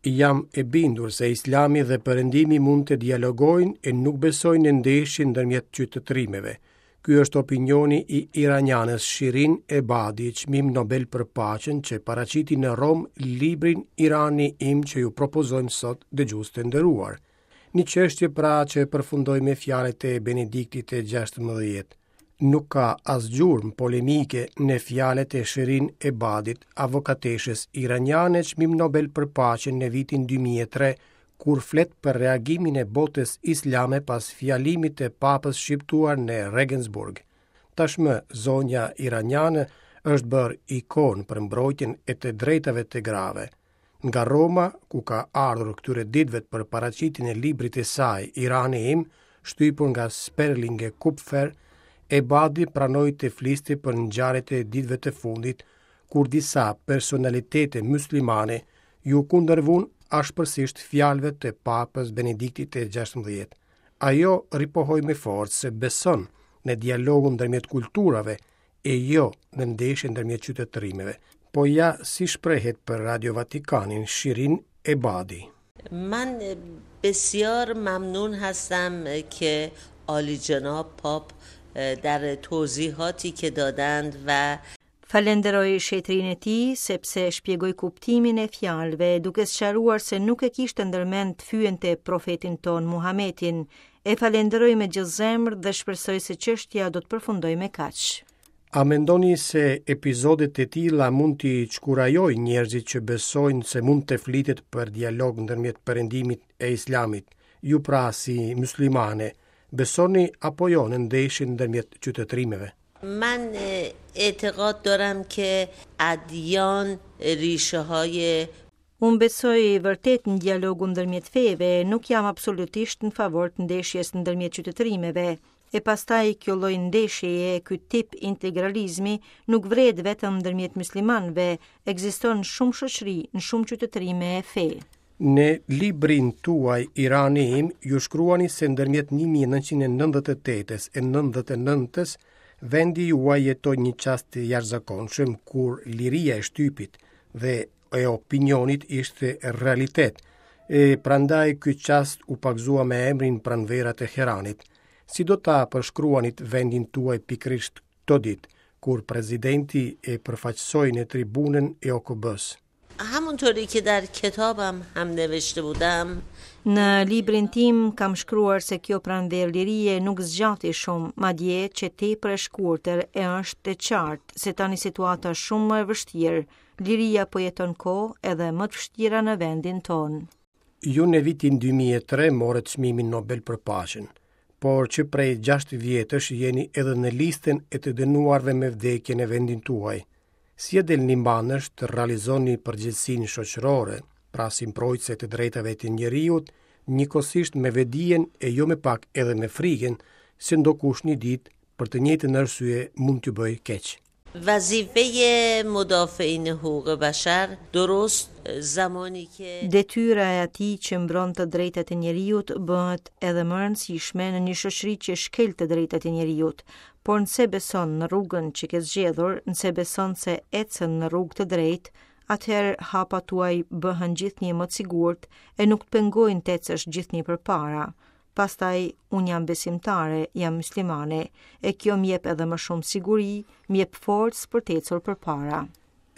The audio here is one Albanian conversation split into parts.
Jam e bindur se Islami dhe Perëndimi mund të dialogojnë e nuk besoj në ndeshje ndërmjet qytetërimeve. Ky është opinioni i iranianes Shirin Ebadi, çmim Nobel për paqen që paraqiti në Romë librin Irani im që ju propozojmë sot dëgjues të nderuar. Një çështje pra që përfundoi me fjalët e Benediktit të 16. Nuk ka as gjurmë polemike në fjalët e Shirin Ebadit, avokateshës iraniane çmim Nobel për paqen në vitin 2003, kur flet për reagimin e botës islame pas fjalimit të papës shqiptuar në Regensburg. Tashmë, zonja iraniane është bërë ikonë për mbrojtjen e të drejtave të grave. Nga Roma, ku ka ardhur këtyre ditëve për paraqitjen e librit të saj Irani im, shtypur nga Sperling e Kupfer, Ebadi pranoi të fliste për ngjarjet e ditëve të fundit, kur disa personalitete muslimane iu kundërvunë ashpërsisht fjalëve të Papës Benediktit të 16. Ajo ripohoi me forcë se beson në dialogun ndërmjet kulturave e jo në ndeshje ndërmjet qytetërimeve. Po ja si shprehet për Radio Vatikanin Shirin Ebadi. من بسیار ممنون هستم که عالی جناب پاپ در توضیحاتی که دادند و Falenderoj shenjtërinë e tij sepse shpjegoi kuptimin e fjalëve duke sqaruar se nuk e kishte ndërmend të fyente profetin tonë Muhametin. E falenderoj me gjithë zemër dhe shpresoj se çështja do të përfundojë me kaq. A mendoni se epizodet e tilla mund t'i çkurajojnë njerëzit që besojnë se mund të flitet për dialog ndërmjet Perëndimit e Islamit? Ju pra si muslimane, besoni apo jo në ndeshjen ndërmjet qytetërimeve? من اعتقاد دارم که ادیان ریشه های Unë besoj vërtet në dialogun ndërmjet feve, nuk jam absolutisht në favor të ndeshjes ndërmjet qytetërimeve. E pastaj kjo lloj ndeshjeje, ky tip integralizmi nuk vret vetëm ndërmjet muslimanëve, ekziston në shumë shoqëri, në shumë qytetërime e fe. Në librin tuaj Irani im, ju shkruani se ndërmjet 1998-s e 99-s, vendi juaj jetoi një çast të jashtëzakonshëm kur liria e shtypit dhe e opinionit ishte realitet. E prandaj ky çast u pagëzua me emrin Pranvera e Teheranit. Si do ta përshkruanit vendin tuaj pikërisht këto ditë, kur presidenti e përfaqësoi në tribunën e OKB-së? همونطوری که در کتابم هم نوشته بودم Në librin tim kam shkruar se kjo pranverë lirie nuk zgjati shumë, madje qe tepër e shkurtër e është e qartë se tani situata është shumë më e vështirë. Liria po jeton kohë edhe më të vështira në vendin tonë. Ju në vitin 2003 morët çmimin Nobel për paqen, por që prej 6 vjetësh jeni edhe në listën e të dënuarve me vdekje në vendin tuaj. Si e dilni mbanë të realizoni përgjegjësinë shoqërore, pra si mbrojtëse të drejtave të njeriut, njëkohësisht me vetëdijen e jo me pak edhe me frikën se ndokush një ditë për të njëjtën arsye mund t'ju bëjë keq. وظیفه مدافعین حقوق بشر درست زمانی که Detyra e atij që mbron të drejtat e njeriut bëhet edhe më e rëndësishme në një shoqëri që shkel të drejtat e njeriut. Por nëse beson në rrugën që ke zgjedhur, nëse beson se ecën në rrugë të drejtë, atëherë hapat tuaj bëhen gjithnjë më të sigurt e nuk të pengojnë të ecësh gjithnjë përpara. Pastaj, unë jam besimtare, jam muslimane, e kjo më jep edhe më shumë siguri, më jep forcë për të ecur përpara.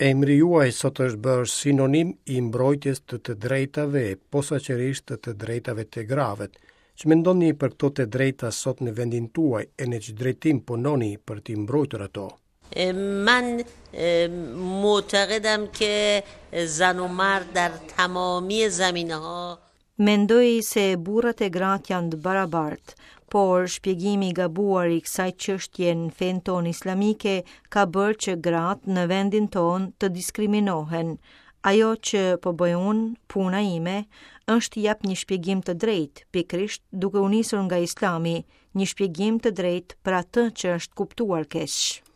Emri juaj sot është bërë sinonim i mbrojtjes të të drejtave, posaçërisht të të drejtave të grave. Ç'mendoni për këto të drejta sot në vendin tuaj e në ç'drejtim punoni për t'i mbrojtur ato? من معتقدم که زن و مرد در تمامی زمینه ها Mendoj se burrat e gratë janë të barabartë, por shpjegimi i gabuar i kësaj çështje në fenë tonë islamike ka bërë që gratë në vendin tonë të diskriminohen. Ajo që po bëj unë, puna ime, është të jap një shpjegim të drejtë, pikërisht duke u nisur nga Islami, një shpjegim të drejtë për atë që është kuptuar keq.